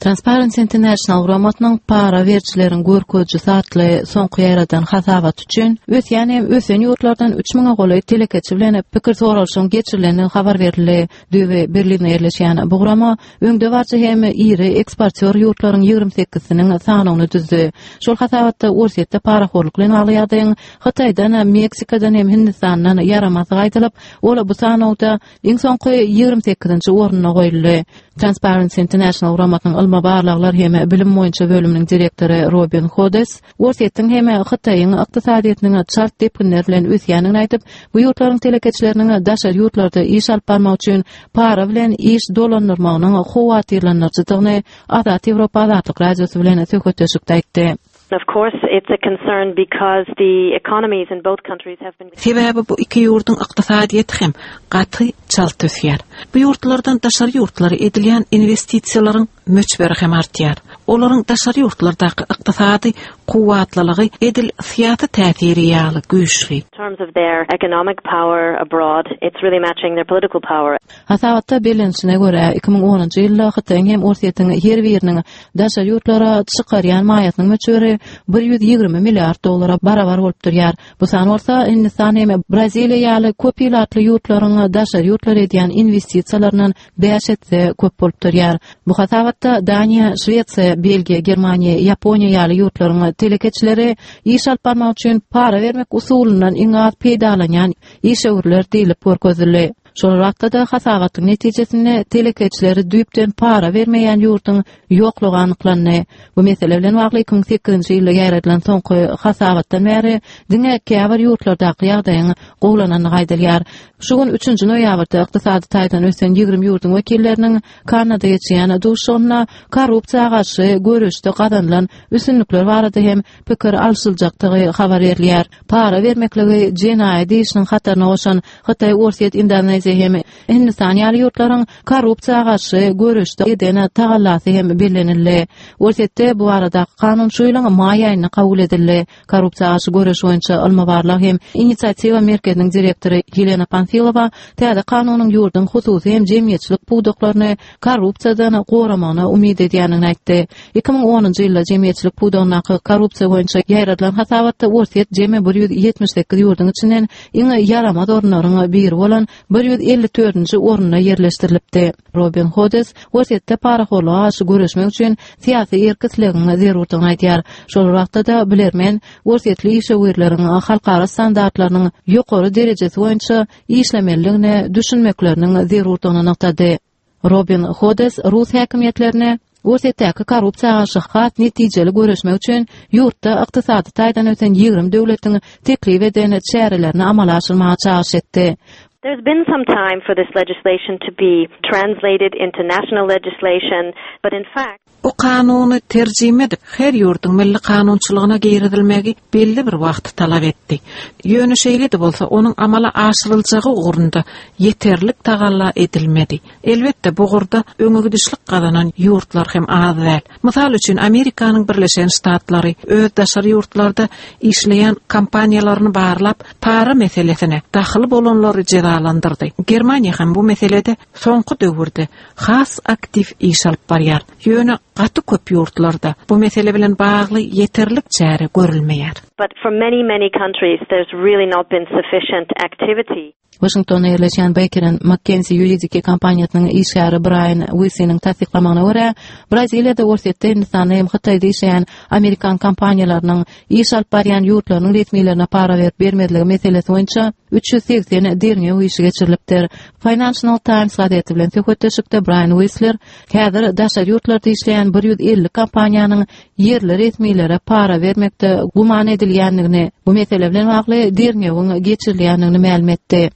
Transparency International guramasynyň Para berijileriň görkezijisi atly soňky ýaýradan hasabaty üçin ösýän hem ösen ýurtlardan üç müňe golaý telekeçi bilen pikir soralyşygyň geçirilendigi habar berildi. Düýbi Berlinde ýerleşýän bu gurama öňdebaryjy hem iri eksportýor ýurtlaryň ýigrimi sekizisiniň sanawyny düzdi. Şol hasabatda Orsýetde parahorluk bilen bagly ýagdaýyň Hytaýdan, Meksikadan hem Hindistandan ýaramazdygy aýdylyp, ol bu sanawda Iň soňky 28-nji orunda goýuldy. Transparency International guramasynyň ylmy barlaglar hem bilim boýunça bölüminiň direktory Robin Hodes Orsýetiň hem Hytaýyň ykdysadyýetiniň çalt depginler bilen ösýändigini aýdyp, bu ýurtlaryň telekeçileriniň daşary ýurtlarda iş alyp barmak üçin para bilen iş dolandyrmagynyň howatyrlandyryjydygyny Azat Ýewropa Azatlyk Radiosy bilen söhbetdeşlikde aýtdy. Of course it's a concern because the economies in both countries have been. Sebäbi bu iki ýurduň ykdysadyýeti hem gaty çalt ösýär. Bu ýurtlardan daşary ýurtlara edilýän inwestisiýalaryň möçberi hem artýar. Olaryň daşary ýurtlardaky ykdysady kuwwatlylygy edil syýasy täsiri ýaly güýçli. Terms of their economic power abroad, it's really matching their political power. Hasabatda bellenilişine görä, 2010-njy ýylda Hytaýyň hem Orsýetiň her biriniň daşary ýurtlara çykarýan maýasynyň möçberi 120 milliard dollara barabar bolup durýar. Bu san bolsa Hindistan hem Braziliýa ýaly köp ilatly ýurtlaryň daşary ýurtlara edýän inwestisiýalaryndan bäş esse köp bolup durýar. Bu hasabatda Daniýa, Şwesiýa, Belgiýa, Germaniýa, Ýaponiýa ýaly ýurtlaryň telekeçileri iş alyp barmak üçin para bermek usulyndan iň az peýdalanýan işewürler diýlip görkezildi. Şol wagtda-da hasabatyň netijesinde telekeçileri düýpden para bermeýän ýurduň ýoklugy anyklandy. Bu mesele bilen bagly 2008-nji ýylda ýaýradylan soňky hasabatdan bäri diňe käbir ýurtlardaky ýagdaýyň gowulanandygy aýdylýar. Şu gün üçünji noýabrda ykdysady taýdan ösen 20 ýurduň wekilleriniň Kannada geçýän duşuşygynda korrupsiýa garşy göreşde gazanylan üstünlikler barada hem pikir alşyljakdygy habar berilýär. Para bermekligi jenaýat işiniň hataryna goşan Hytaý, Orsýet, Indoneziýa hem Hindistan ýaly ýurtlaryň korrupsiýa garşy göreşde eden tagallasy hem bellenildi. Orsýetde bu baradaky kanun şu ýylyň maý aýynda kabul edildi. Korrupsiýa garşy göreş boýunça ylmy-barlag hem inisiatiwa merkeziniň direktory Ýelena Panfilowa täze kanunyň ýurduň hususy hem jemgyýetçilik pudaklaryny korrupsiýadan goramagyna umyt edýändigini aýtdy. 2010-njy ýylda jemgyýetçilik pudagyndaky korrupsiýa boýunça ýaýradylan hasabatda Orsýet jemi 178 ýurduň içinden iň ýaramaz orunlaryň biri bolan 154-nji orunda ýerleşdirilipdi. Robin Hodes Orsýetde parahorluga garşy göreşmek üçin syýasy erk-islegiň zerurdygyny aýdýar. Şol bir wagtda-da bilermen orsýetli işewürleriň halkara standartlarynyň ýokary derejesi boýunça işlemelidigine düşünmekleriniň zerurdygyny nygtady. Robin Hodes rus häkimiýetlerine Orsýetdäki korrupsiýa garşy has netijeli göreşmek üçin ýurtda ykdysady taýdan ösen 20 döwletiň teklip eden çärelerini amala aşyrmaga çagyryş etdi. There's been some time for this legislation to be translated into national legislation, but in fact, Bu kanuny terjime edip, her ýurduň milli kanunçylygyna girizilmegi belli bir wagty talap etdi. Ýöne şeýle-de bolsa, onuň amala aşyryljagy ugrunda ýeterlik tagalla edilmedi. Elbetde, bu ugurda öňegidişlik gazanan ýurtlar hem az däl. Mysal üçin, Amerikanyň Birleşen Ştatlary öz daşary ýurtlarda işleýän kompaniýalaryny barlap, para meselesine dahyly bolanlary jezalandyrdy. Germaniýa hem bu meselede soňky döwürde has aktiw iş alyp barýar. Ýöne gaty köp ýurtlarda bu mesele bilen bagly ýeterlik çäre görülmeýär. But for many, many countries there's really not been sufficient activity. Waşingtonda ýerleşýän Baker and McKenzie ýuridiki kompaniýasynyň işgäri Braýan Uisiniň tassyklamagyna görä, Braziliýada, Orsýetde, Hindistanda hem Hytaýda işleýän amerikan kompaniýalarynyň iş alyp barýan ýurtlarynyň resmilerine para berip-bermezligi meselesi boýunça 380 derňew işi geçirilipdir. Financial Times gazeti bilen söhbetdeşlikde Braýan Uisler häzir daşary ýurtlarda işleýän 150 kompaniýanyň ýerli resmilere para bermekde güman edilýändigini, bu mesele bilen bagly derňewiň geçirilýändigini mälim etdi.